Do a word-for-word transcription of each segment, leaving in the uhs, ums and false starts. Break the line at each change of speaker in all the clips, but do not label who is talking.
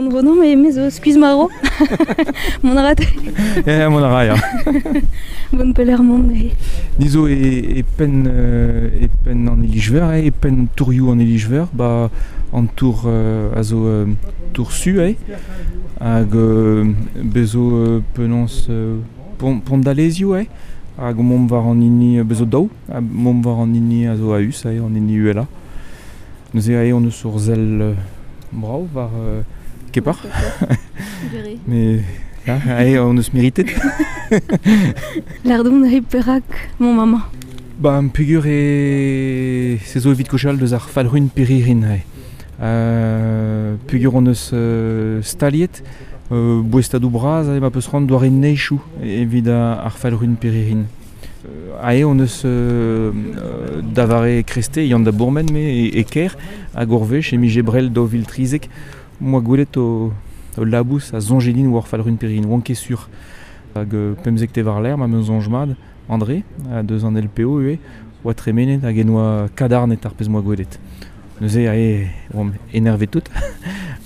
an dro, non, mais me zo skuizh maro. Mont a rat.
Eh, mont a ra, ya.
Bon peler mont, neuze.
Ni zo e, e penn, euh, e penn an Iliz-Veur, eh, e penn tourioù an Iliz-Veur, ba an tour euh, a zo euh, tour su, eh, hag euh, bezo euh, penaos euh, pont, pont d'Alezioù, eh, hag mont war an hini bezo daou, ha mont war an hini a zo a-us, eh, an hini uhelañ. Neuze ae on eus ur sell euh, brav war euh, Kepar. Mais ya, ae on eus meritet.
Lardon neuze perak mon maman.
Ba, peogwir e se zo evit kochal deus ar falc'hun Piririn ae. Euh, peogwir on eus euh, staliet euh, boestadoù bras ae ma peus c'hoant doare neizhoù evit ar falc'hun Piririn. Euh, ae on eus euh, euh, da vare Kreste, yann da bourmen me e, e kêr, hag ur wech e mije brel daou vil trizek, moa gwelet o, o labous a soñje din war falc'hun Piririn, oan ket sur. Hag euh, pemzek te war l'air, ma meus soñj mat, André, a deus an L P O ivez, oa tremenet hag en oa kadarnet ar pezh moa gwelet. Neuze ae oamp énervé tout.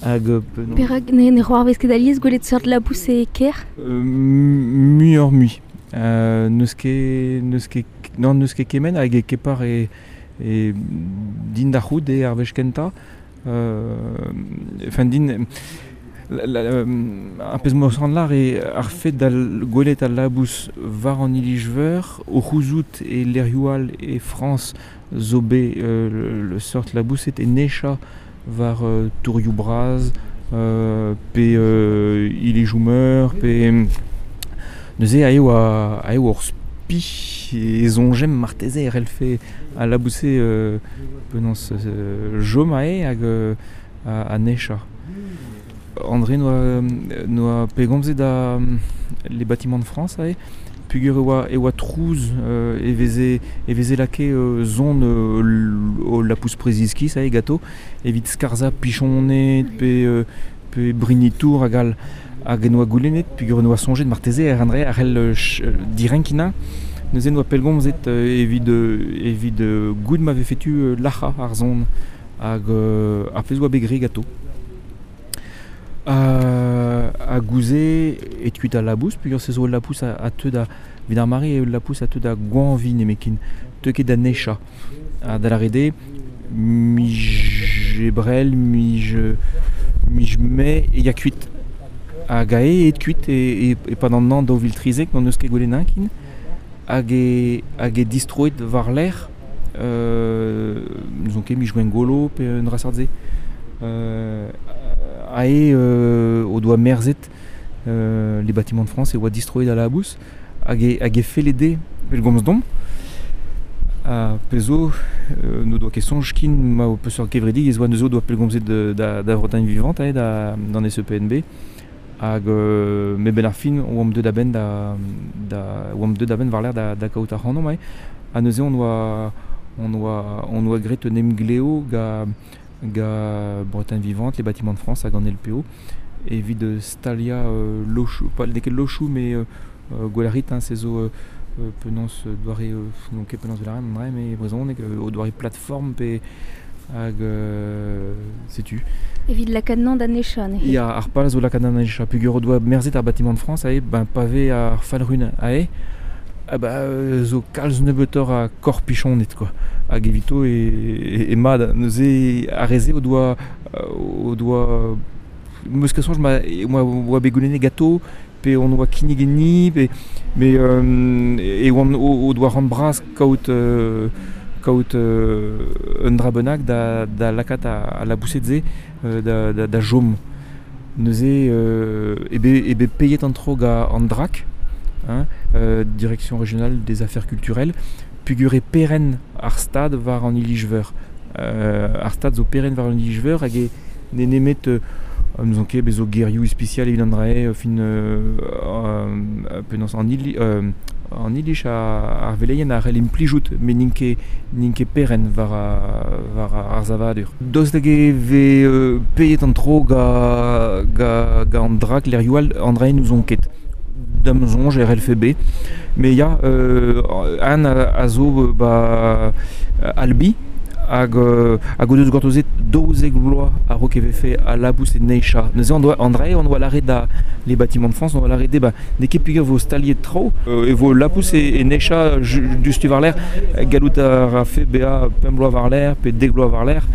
Hag euh, penaos-
Perak ne, ne c'hoarvez ket alies gwelet seurt labous e kêr?
Euh, muioc'h mui. Euh, n'eus ket, n'eus ket, non, n'eus ket kement hag e kepar e, e din da c'hoût eo ar wech kentañ. Euh, enfin din, la, la, euh, ar pezh moa c'hoant lar eo ar fet da gwelet al labous war an Iliz-Veur, o c'houzout e lec'hioù all e Frañs zo bet euh, le, le seurt labouset e necha war euh, tourioù bras, euh, pe euh, ilizoù meur, pe neuze ae oa, ae oa ur spi e soñjem marteze e c'hellfe al labouse euh, penaos euh, chom ae hag euh, a, a necha. André noa, noa pegomzet da les bâtiments de France ae, peogwir e oa, e oa trouz euh, e veze, e veze lakaet euh, zon euh, o lapous preziskis ae gato, evit skarzhañ pichoned pe, euh, pe brini-tour hag all. Hag en oa goulennet, peogwir en oa soñjet marteze er André a c'hell euh, ch- euh, direnkinañ. Neuze noa pellgomzet euh, evit, euh, evit euh, goût ma vefe tu euh, lac'hañ ar zon hag euh, ar pezh oa bet graet gato. Euh, ha gouze e kuit al labous, peogwir se zo ul labous a, a teu da, evit ar mare eo ul labous a teu da goañviñ nemetken, teu ket da nechañ. Ha da lâret eo, mij ebrel, mij, mij mae e ya kuit. Hag ae aet kuit e, e, e-pad an hañv daou vil trizek, n'hon eus ket gwelet kin, hag e, hag e distroet war-lerc'h, euh, n'ouzon ket mij Gwengolo pe un dra seurt-se. Euh, ae euh, o doa merzet euh, les bâtiments de France e oa distroet a labous hag e, hag e felle dezhe pellgomz domp. Ha pezh zo euh, n'o doa ket soñj kin ma o peseurt kevredigezh oa neuze o doa pellgomzet de, da, da Bretagne Vivante ae, da, d'an S E P N B. Hag euh, me benn ar fin oamp deuet a-benn da, da, oamp deuet a-benn war-lerc'h da, da kaout ar c'hanomp ae. Ha neuze on oa, on oa, on oa graet un emgleo ga, ga Bretagne Vivante, les bâtiments de France hag an L P O, evit staliañ euh, lochoù, pas n'eo ket lochoù, mais euh, euh, gwell a rit, hein, se zo euh, euh, penaos doare, euh, n'on ket penaos vel ar mais brezhoneg, euh, o doare plateforme pe hag euh, setu.
Evit lakaat nañ da nechañ, neuze.
Ya, ar pal zo lakaat nañ da nechañ, peogwir o doa merzet ar bâtiment de France ae, ben pavé ar falc'hun ae, ah ba, euh, zo kalz nebeutoc'h a korpichoned, quoi. Hag evito e, e, e mat, neuze ar re-se o doa, o doa meus ket soñj ma, e, oa, oa bet goulennet gato, pe on oa kinniget ni, pe, mais euh, e oan o, o doa ran bras kaout, euh, kaout euh, un dra bennak da, da lakaat a, a labouset-se, euh, da, da, da chom. Neuze euh, e bet, e bet peiet an tro ga an D R A C, hein, euh, Direction Régionale des Affaires Culturelles, peogwir e peren ar stad war an Iliz-Veur. Euh, ar stad zo peren war an Iliz-Veur hag e ne nemet, euh, n'ouzon ket bezo gerioù ispisial evit an dra-se, euh, fin, euh, euh, penaos an ili, euh, an iliz a, ar veleien a c'hell implijout, met n'int ket, n'int ket peren war a, war a, ar savadur. Daoust hag e vez euh, peiet an tro ga, ga, ga an D R A C lec'hioù all, an dra-se n'ouzon ket. Da'm soñj R L F B. Mais ya, euh, an a, a zo, ba, Albi, Hag, euh, hag o deus gortozet daouzek vloaz a-raok e vefe a labous e neizha. Neuze on doa, André, on doa lâret da les bâtiments de France, on doa lâret ba, n'eo ket peogwir vo staliet traoù, euh, e vo labous e, e neizha diouzhtu war-lerc'h, gallout a rafe bezañ pemp bloaz war-lerc'h pe dek bloaz war-lerc'h.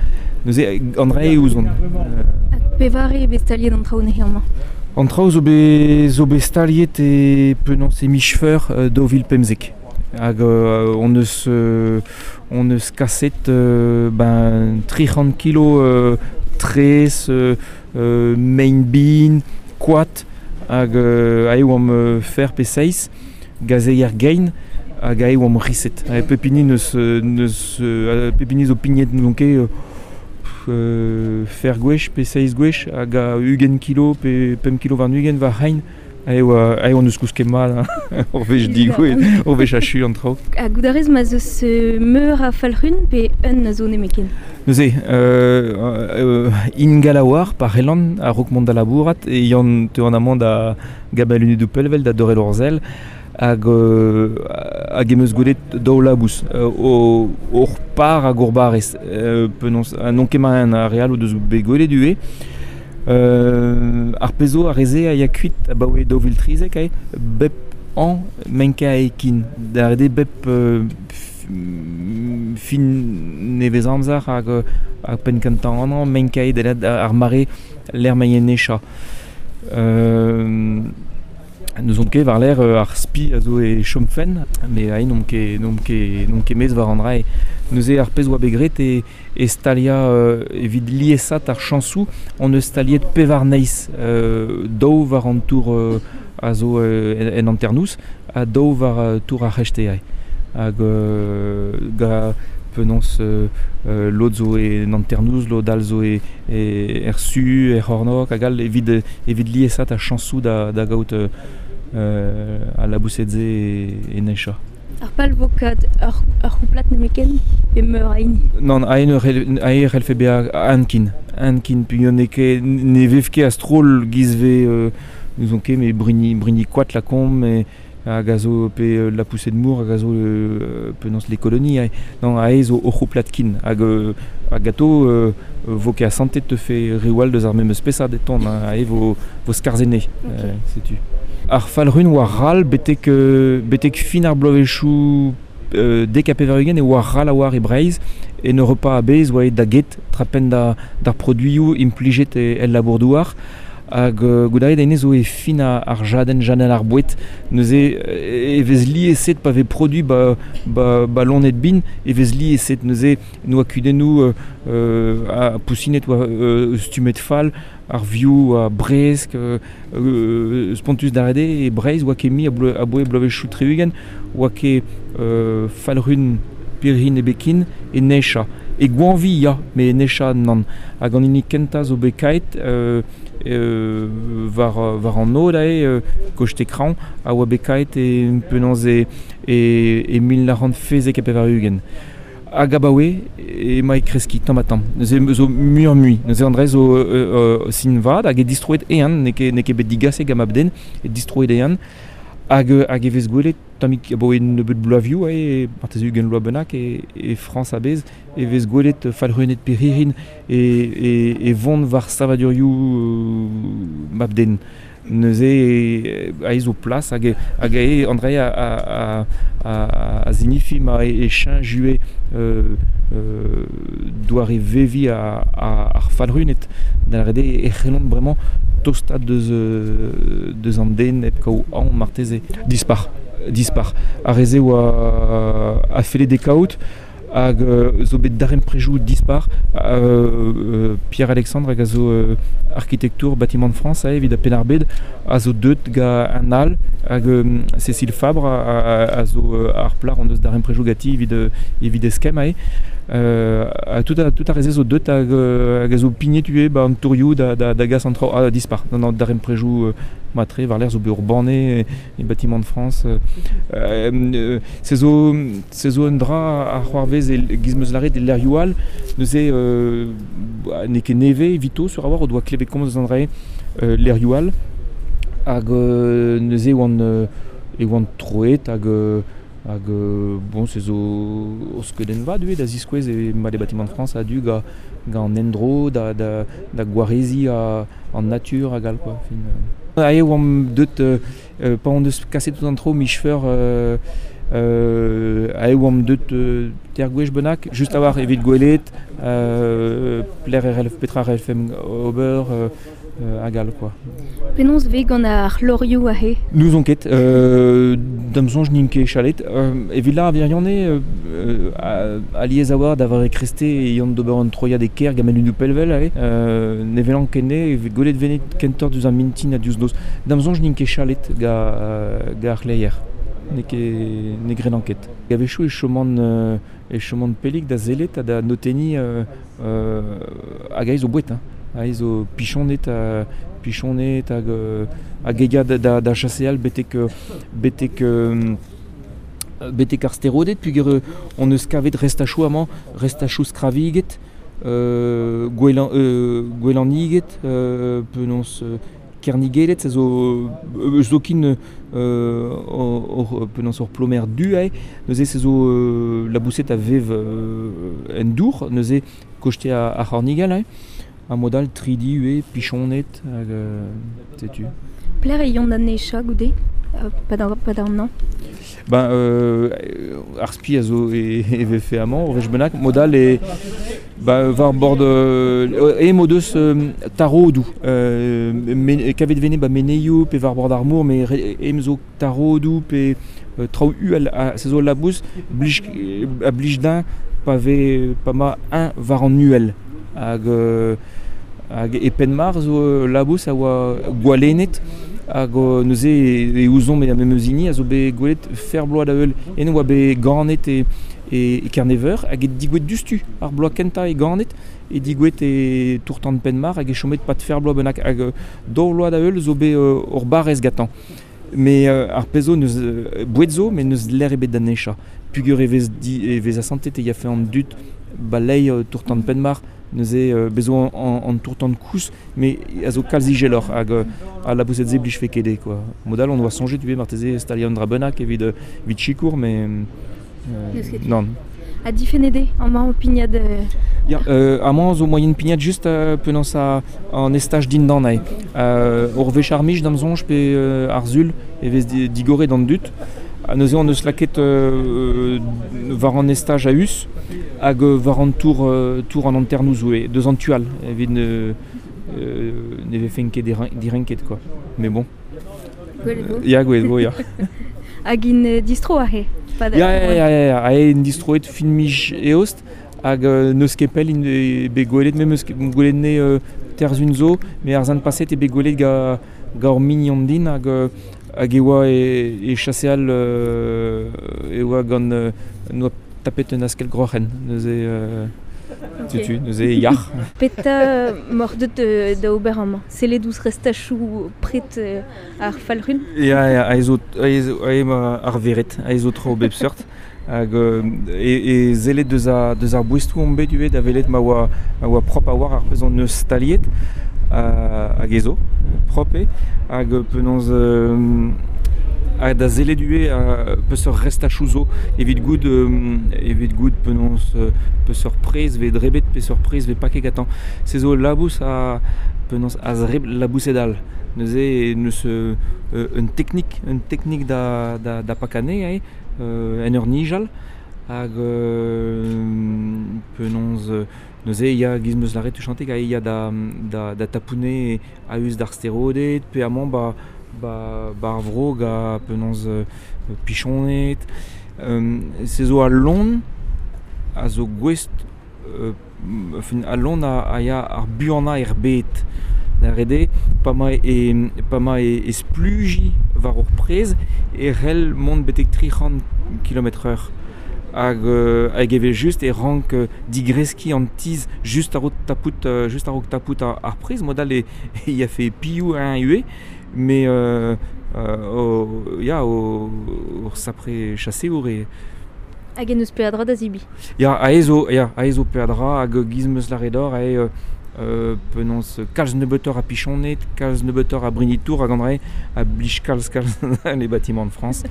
Neuze André ouzon.
Euh, pevare eo bet staliet an traoù neuze amañ?
An traoù zo bet, zo bet staliet e penaos e miz Feur euh, daou vil pemzek. Hag euh, on eus, euh, on eus kaset euh, ben, tri c'hant kilo euh, traezh, euh, euh, mein bin, koad, hag euh, aze oamp euh, fer pe seizh, gazeier gein, hag aze oamp riset. Hag pep hini neus, neus, euh, pep hini zo pignet n'ouzon ket euh, euh, fer gwech pe seizh gwech, hag a ugent kilo pe pemp kilo warn-ugent war c'hein. Aze oa, aze on eus kousket mat, hein. Ur wech digouezhet, ur wech achu an traoù.
Ha goût a rez ma 'z eus meur a falc'hun pe un a zo nemetken?
Neuze, euh, euh, ingal a oar, pa c'hellan, a-raok mont da labourat, e yann teuan amañ da gabel lunedoù pellvel da dorel hor sell, hag, euh, hag em eus gwelet daou labous, euh, o, hor par hag hor barrez, euh, penaos, ha n'on ket ma ar re all o deus bet gwelet ivez. Euh, ar pezh zo ar re-se a ya kuit abaoe daou vil trizek ae, bep an menka ekin. Da ret eo bep euh, fin nevez amzer hag, hag penn kentañ an an menka eo da ar mare l'er maien necha. Euh, N'ouzon ket war-lerc'h ar spi a zo e chomfen, mais ae n'omp ket, n'omp ket, n'omp ket mez war an dra. Neuze ar pezh oa bet graet e, e staliañ euh, evit liesat ar chañsoù, on eus staliet pevar neizh, euh, daou war an tour euh, a zo euh, en, en hanternoz, ha daou war euh, tour ar c'hreisteiz. Hag euh, ga penaos euh, euh, lod zo e en hanternoz, lod all zo e, e er su, er c'hornôg, hag all evit, evit liesat ar chañsoù da, da gaout euh, euh, al laboused-se e, e neizha.
Ar pal vo kat ur, ur c'houplad nemetken pe meur a hini?
Nann, ae ae c'hellfe bezañ ankin. Ankin, peogwir n'eo ket, ne vev ket a-stroll giz vez, euh, n'ouzon ket, mais bruni, bruni koad lakaomp, mais hag a zo pe euh, la poussée de mour, hag a zo euh, penaos les colonies, ae. Non, ae zo ur c'houplad kin. Hag, euh, hag ato, euh, vo ket asantet te fe reoù all deus ar memes spesad e tont, hein, ae vo, vo skarzhenne,
Ok.
euh, setu. Ar falc'hun oa ral betek, euh, betek fin ar bloavezhioù euh, dek ha pevar-ugent e oa ral a oar e Breizh, en Europa a-bezh oa aet da get, trapenn da, d'ar produioù implijet e, el labour-douar, hag euh, goude da zo e fin ar, ar jadenn jadenn ar boued, neuze e vez lieset pa vez produit ba, ba, ba loened bin, e vez lieset neuze noa kudennoù euh, euh, a pousinet oa euh, stummet fall, ar vioù a bresk, euh, euh, spontus d'ar ede e Breizh oa ket mi a bleu, aboe bloavezhioù tri-ugent, oa ket euh, falc'hun pirc'hirin ebet e neizha. E goañvi ya, mais e neizha nann. Hag an hini kentañ zo bet kaet, euh, euh, war, war an nod ae, euh, koste kraoñ, a oa bet kaet e penaos e, e, e mil nav c'hant fezek ha pevar-ugent. Hag abaoe emañ e kreskiñ tamm ha tamm. Neuze zo muioc'h-mui. Neuze an dra zo euh, euh, sin vat hag e distroet ehan, n'eo ket, n'eo ket bet digaset gant mab-den, e distroet ehan. Hag, hag e vez gwelet tammig abaoe nebeut bloavioù, e marteze ugent bloaz bennak e, e Frañs a-bezh, e vez gwelet falc'huned pirc'hirin e, e, e vont war savadurioù euh, mab-den. Neuze e, aze zo plas hag, hag e André a, a, a, a, a zinifi ma e, e cheñch ivez, euh, euh, doare veviñ a, a, ar falc'huned. Da lâret eo e c'hellont bremañ tostaat deus, euh, deus an den hep kaout aon marteze. Dispar, dispar. Ar re-se oa a felle dezhe kaout, hag euh, zo bet darempredoù dispar. Euh, euh, Pierre-Alexandre hag a zo euh, arkitektour bâtiment de France ae, evit a Penn-ar-Bed, a zo deut ga an all, hag euh, Cécile Fabre a, a, a zo euh, ar plac'h on deus darempredoù ganti evit, euh, evit eskemm ae. Euh, a tout a, tout ar re-se zo deut hag, euh, hag a zo pignet ivez ba an tourioù da, da, da gas an traoù, ah, dispar. Non, non, darempredoù euh, matre, war-lerc'h zo bet ur banne e, e bâtiment de France. Euh, euh, se zo, se zo un dra a c'hoarvez e giz meus lâret e lec'hioù all, neuze euh, n'eo ket nevez evito sur a war o doa klevet komz eus an dra euh, lec'hioù all, hag euh, neuze oant, euh, e oant troet hag, euh, Hag euh, bon, se zo o skeudenn vat eo da ziskouez e ma les bâtiments de France a du ga, ga an endro, da, da, da gwarezi a, an natur hag all, quoi. Fin, euh. Ae oamp deut, euh, euh, pa on deus kaset tout an tro michfeur euh, euh, ae oamp deut euh, ter gwech bennak, just a war evit gwelet, euh, pler R L F, petra R L F M ober, euh, euh, hag all, quoi.
Penaos vez gant ar lorioù ahe?
Nous on ket, euh, da'm soñj n'int ket chalet. Euh, evit la ar euh, euh, aliez a war da var e kreste e yont d'ober an troiad e ker gamen unou pelvel ahe. Euh, ne velan ket ne, evit gwelet venet kentoc'h diouzh ar mintin ha diouzh noz. Da'm soñj n'int ket chalet ga, ga ar c'hleier. Ne ket, ne grenan ket. A-wechoù e choman, euh, e choman pellik da zellet ha da notenni, euh, euh, hag aez o boued, hein. Aez o pichonet ha, pichonet hag, euh, hag egia da, da, da chaseal betek, betek, euh, betek ar sterodet, pugur euh, on eus kavet restachoù amañ, restachoù skraviget, euh, gwelan, euh, gwelaniget, euh, penaos, euh, kernigelet, se zo, euh, zokin, euh, or, or, penaos ur plomer du ae, neuze se zo, euh, labouset a vev, euh, en dour, neuze kochte a, a c'hornigel ae. A modal tridi ue, pichonet, hag, euh, setu.
Pler e yont an necha goude, euh, pa d'an, pa d'an an?
Ben, euh, ar spi a zo e, e vefe amañ, o vech bennak, modal e, ba, war bord, euh, e mod eus, euh, tarodou. Euh, men, kavet vene ba meneioù pe war bord ar mor, me re, em zo tarodou pe, euh, traoù uhel, a, se zo labous, blij, a blij din pa ve, pa ma un war an uhel. Hag, euh, hag e Penmar zo, euh, labous a oa gwalennet, hag, euh, neuze e, e ouzomp e a memeus hini a zo bet gwelet fer bloaz da heul. En oa bet ganet e, e, e Kerneveur, hag e digouet dustu ar bloaz kentañ e ganet, e digouet e tourtan Penmar hag e chomet pat fer bloaz bennak, hag, euh, daou vloaz da heul zo bet, euh, ur barrez gantañ. Mais, euh, ar pezh zo neus, euh, boued zo, mais neus l'air ebet da necha. Pugur e vez di, e vez asantet e yafe an dud balei, euh, tourtan Penmar, neuze, euh, bezo an, an, an tourtan kous, mais a zo kalz ijeloc'h hag, euh, a labouset ze blij fe kede, quoi. Modal on oa soñjet ivez marteze staliañ an dra bennak evit, euh, evit sikour, mais, euh,
N'eus ket.
non.
A difennet eo amañ o pignat, euh,
Ya, euh, amañ zo moyen pignat just, euh, penaos a, an estaj dindan ae. Euh, ur wech ar mij da'm soñj pe, euh, ar sul e vez di-, digoret d'an dud. Ha neuze on eus laket, euh, war an estaj a-us hag, euh, war an tour, euh, tour an hanternoz oe, deus an tual, evit ne, euh, ne vefen ket diren-, direnket, quoi. Mais bon.
Gwelet vo.
Ya, gwelet vo, ya.
Hag in, euh, distro ahe, pa da-
Ya, ya, ya, ya, ya, ahe in distroet fin mij eost, hag, euh, n'eus ket pell in e bet gwelet, me meus ket gwelet ne, euh, terzun zo, me ar zan paset e bet gwelet ga, ga ur mignon din, hag, euh, hag e oa e, e chaseal, euh, e oa gant, euh, noa tapet un askel groc'hen, neuze, euh,
Ok.
setu, neuze yac'h.
Petra moc'h deut, euh, da ober amañ? Sellet ouzh restachoù pret, euh, ar falc'hun?
Ya, ya, ae zo, ae zo, ae ma ar veret, ae zo tro bep seurt. Hag, euh, e, e zellet deus a, deus ar boestoù omp bet ivez da welet ma oa, ma oa prop a war ar pezh hon eus staliet, euh, hag e zo, prop eo, hag, euh, penaos, euh, hag da zellet ivez, euh, peseurt restachoù zo, evit goût, euh, evit goût penaos, euh, peseurt prez vez drebet, peseurt prez vez paket gantañ. Se zo labous a, penaos a zreb labouset all. Neuze, neus, euh, un teknik, un teknik da, da, da pakane, ae, euh, en ur nijal, hag, euh, penaos, euh, neuze, ya giz meus lâret tuchantek, ae ya da, da, da tapoune a-us d'ar sterodet, pe amañ ba, ba, ba ar vro ga penaos, euh, pichonet. Euh, se zo al lon a zo gouest, euh, fin, al lon a, a ya ar buanañ er bed. Da rede, pa ma e, pa ma e, e spluji war ur prez, e c'hell mont betek tri c'hant kilomètre heure. Hag, euh, hag evel just e rank, euh, digreskiñ an tiz just a-raok tapout, euh, just a-raok tapout ar, ar prez, modal e, e ya fe pioù un ue, mais, euh, euh, o, ya, o, ur sapre chaseour e.
Hag en eus peadra da zibi.
Ya, ae zo, ya, ae zo peadra, hag giz meus lâret d'or, ae, euh, euh, penaos kalz nebeutoc'h a pichoned, kalz nebeutoc'h a brinitour hag an dra a blij kalz kalz les bâtiments de France.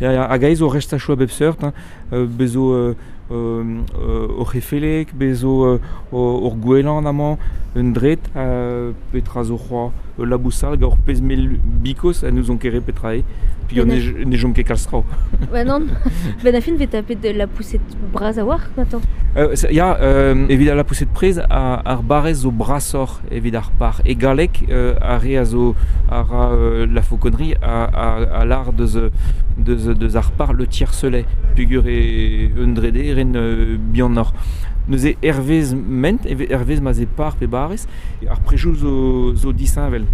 Ya, ya, hag aze zo restachoù a bep seurt, hein, euh, bezo euh, euh, ur c'hefeleg, bezo euh, ur gouelan amañ, un dret, euh, petra zo c'hoa, euh, labousal, gant ur pezh mell bikos, ha n'ouzon ket re petra eo, puis on ne jom ket kalz traoù.
Ba nann, ben a fin 'vez tapet de la poussette bras a-walc'h gantañ.
Euh, ya, euh, evit ar lapoused prez, ar, ar barrez zo brasoc'h evit ar par. E galleg, euh, ar re a zo a ra euh, la fauconnerie a, a, a lar deus, deus, deus ar par le tiercelet, pugur e un drede ren euh, bihanoc'h. Neuze hervez ment, hervez ma 'z eo par pe barrez, ar prejoù zo, zo disheñvel.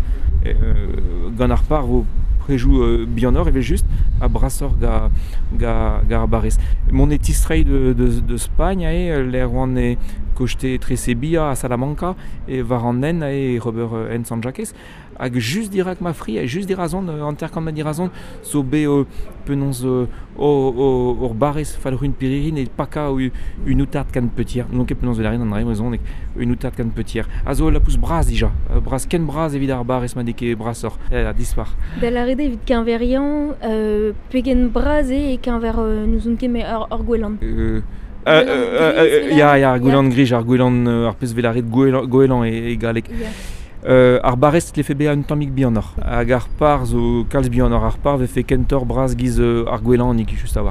Euh, gant ar par vo prejoù euh, bihanoc'h evel just, ha brasoc'h ga, ga, ga ar barrez. Mont e tistreiñ de, de, de Spagn ae, lec'h oan e koste etre Sevilla ha Salamanca, e war an hent ae ober euh, hent Sant-Jakez, hag just dirak ma fri, just dirazon, euh, hanter-kant metr dirazon, zo bet euh, penaos euh, o, o, ur barrez falc'hun pirc'hirin e paka u, un outarde canepetière. N'on ket penaos velarin an dra brezhoneg, un outarde canepetière. A zo lapous bras dija, bras ken bras evit ar barrez ma n'eo ket brasoc'h, eh, dispar.
Da lâret eo evit keñveriañ, euh, pegen bras eo e keñver euh, n'ouzon ket met ur, ur gouelan.
Euh, euh, euh, euh, ya, ya, ar gouelan grij, ar gouelan, euh, ar pezh velaret gouelan, goelan e, e galleg.
Ya.
Euh, ar barrez tlefe bezañ un tammig bihanoc'h. Hag ar par zo kalz bihanoc'h. Ar par vefe kentoc'h bras giz euh, ar gouelanig just a-walc'h.